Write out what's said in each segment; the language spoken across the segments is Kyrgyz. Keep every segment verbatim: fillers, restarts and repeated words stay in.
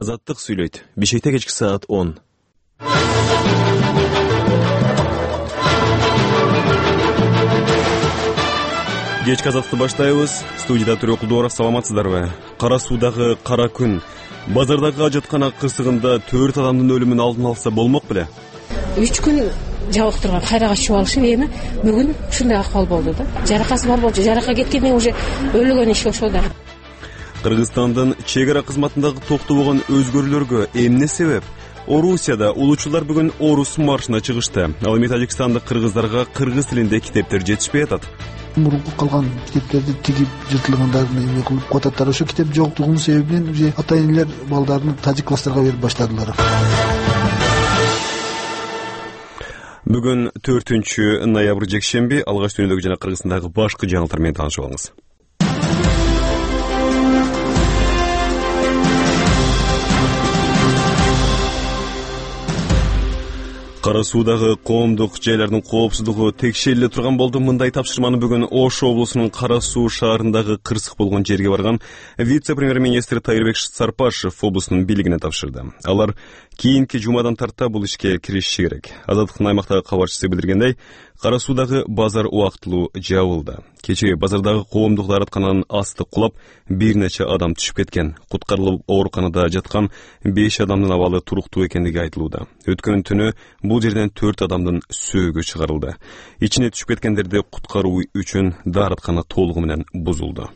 Азаттык сүйлөйт. Бишкекте кечки саат он. Кечки азаттыкты баштайбыз. Студияда Төрө Кулдуаров, саламатсыздарбы? Кара суудагы кара күн. Базардагы ажаткана кырсыгында төрт адамдын өлүмүн алдын алса болмок беле? үч күн жабык турган кайрага чыгып алышып, эми бүгүн ушундай акыбал болду да. Жаракасы бар болчу, жаракка кеткенден уже өлгөн иши ошол да. Кыргызстандын чек ара кызматындагы токтобогон өзгөрүүлөргө эмне себеп? Орусияда улуучулар бүгүн Орус маршына чыгышты. Ал эми Тажикстандык кыргыздарга кыргыз тилинде китептер жетишпей атат. Мурунку калган китептерди тигип жыртылгандарын эме кылып коюп, ошо китеп жоктугунун себебинен уже ата-энелер балдарын тажик класстарга берип баштадылар. Бүгүн төртүнчү ноябрь жекшемби. Алгач дүйнөдөгү жана Кыргызстандагы башкы жаңылыктар менен таанышып алыңыз. Кара суудагы коомдук жайлардын коопсуздугу текшериле турган болду. Мындай тапшырманы бүгүн Ош облусунун Кара суу шаарындагы кырсык болгон жерге барган вице-премьер-министр Тайырбек Сарпашев облустун бийлигине тапшырды. Алар кийинки жумадан тарта бул ишке киришиши керек. Азаттыктын аймактагы кабарчысы билдиргендей, Кара суудагы базар убактылуу жабылды. Кечээ базардагы коомдук даараткананын асты кулап, бир нече адам түшүп кеткен. Куткарылып ооруканада жаткан беш адамдын абалы туруктуу экендиги айтылууда. Өткөн түнү бул жерден төрт адамдын сөөгү чыгарылды. Ичине түшүп кеткендерди куткаруу үчүн даараткана толугу менен бузулду.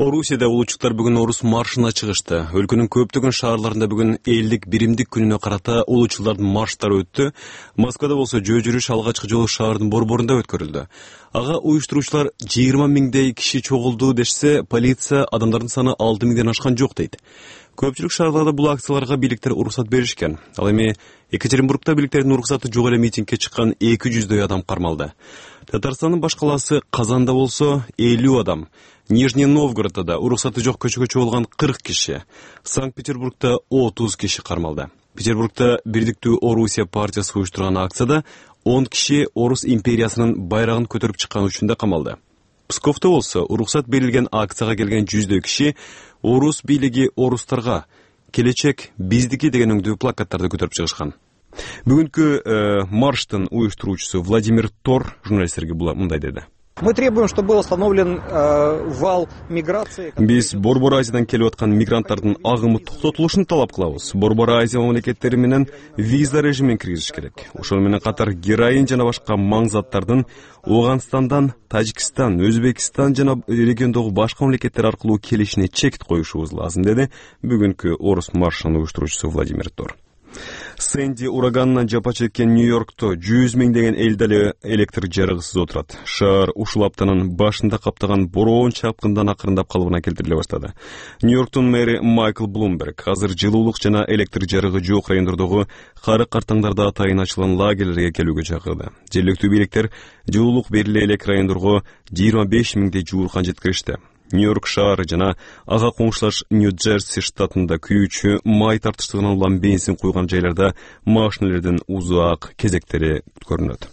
Орусияда улуучулар бүгүн Орус маршына чыгышты. Өлкөнүн көптөгөн шаарларында бүгүн элдик биримдик күнүнө карата улуучулардын марштары өттү. Москвада болсо жөө жүрүш алгачкы жолу шаардын борборунда өткөрүлдү. Ага уюштуруучулар жыйырма миңдей киши чогулду дешсе, полиция адамдардын саны алты миңден ашкан жок дейт. Көпчүлүк шаарларда бул акцияларга бийликтер уруксат беришкен. Ал эми Екатеринбургда бийликтердин уруксаты жок эле митингге чыккан эки жүздөй адам кармалды. Татарстандын баш калаасы Казанда болсо элүү адам, Нижний Новгородда да уруксаты жок көчөгө чогулган кырк киши, Санкт-Петербургда отуз киши кармалды. Петербургда Бирдиктүү Орусия партиясы уюштурган акцияда он киши Орус империясынын байрагын көтөрүп чыккан үчүн да камалды. Псковдо болсо уруксат берилген акцияга келген жүздөй киши Орус бийлиги орустарга келечек биздики деген өңдүү плакаттарды көтөрүп чыгышкан. Бүгүнкү э, марштын уюштуруучусу Владимир Тор журналисттерге мындай деди. Мы требуем, чтобы был остановлен э, вал миграции. Биз Борбор Азиядан келип аткан мигранттардын агымы токтотулушун талап кылабыз. Борбор Азия мамлекеттери менен виза режимин киргизиш керек. Ошол менен катар героин жана башка маң заттардын Ооганстандан, Тажикстан, Өзбекстан жана региондогу башка мамлекеттер аркылуу келишине чек коюшубуз лазым, деди бүгүнкү Орус маршынын уюштуруучусу Владимир Тор. Сэнди ураганынан жапа чеккен Нью-Йоркто жүз миңдеген эл дали электр жарыгысыз отурат. Шаар ушул аптанын башында каптаган бороон чапкындан акырындап калыбына келтириле баштады. Нью-Йорктун мэри Майкл Блумберг азыр жылуулук жана электр жарыгы жок райондордогу кары картаңдарда атайын ачылган лагерлерге келүүгө чакырды. Жергиликтүү бийликтер жылуулук бериле элек райондорго жыйырма беш миңдей жууркан жеткиришти. Нью-Йорк шаары жана ага коңшулаш Нью-Джерси штатында күйүүчү май тартыштыгынан улам бензин куйган жайларда машиналердин узак кезектери көрүнөт.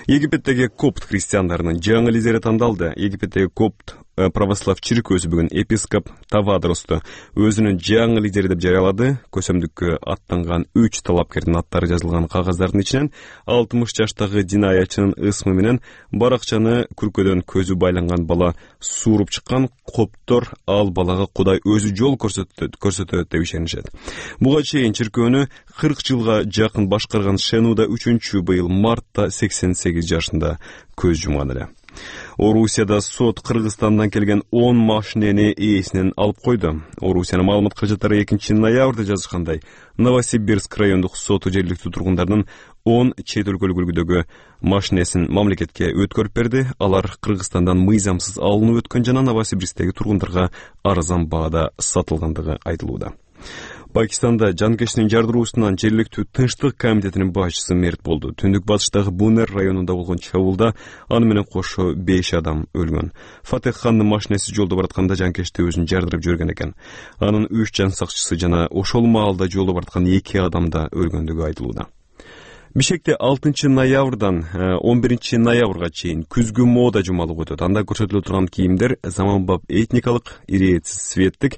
Египеттеги копт христиандарынын жаңы лидери тандалды. Египеттеги копт православ чиркөөсү бүгүн епископ Тавадросту өзүнүн жаңы лидери деп жарыялады. Көсөмдүккө аттанган үч талапкердин аттары жазылган кагаздардын ичинен алтымыш жаштагы динаячынын ысмы менен баракчаны күркөдөн көзү байланган бала сууруп чыккан. Коптор ал балага Кудай өзү жол көрсөтөт көрсөтөт деп ишенишет. Буга чейин чиркөөнү кырк жылга жакын башкарган Шенуда үчүнчү быйыл мартта сексен сегиз жашында көз жумган эле. Орусияда сот Кыргызстандан келген он машинени ээсинен алып койду. Орусиянын маалымат каражаттары экинчи ноябрда жазышкандай, Новосибирск райондук соту жергиликтүү тургундардын он чет өлкөлүк үлгүдөгү машинесин мамлекетке өткөрүп берди. Алар Кыргызстандан мыйзамсыз алынып өткөн жана Новосибирсктеги тургундарга арзан баада сатылгандыгы айтылууда. Пакистанда жанкештин жардыруусунан жергиликтүү тынчтык комитетинин башчысы мерт болду. Түндүк батыштагы Бунер районунда болгон чабуулда аны менен кошо беш адам өлгөн. Фатех хандын машинеси жолдо баратканда жанкешти өзүн жардырып жүргөн экен. Анын үч жан сакчысы жана ошол маалда жолдо бараткан эки адам да өлгөндүгү айтылууда. Бишкекте алтынчы ноябрдан он биринчи ноябрга чейин күзгү мода жумалыгы өтөт. Анда көрсөтүлө турган кийимдер заманбап этникалык, ирээтсиз светтик,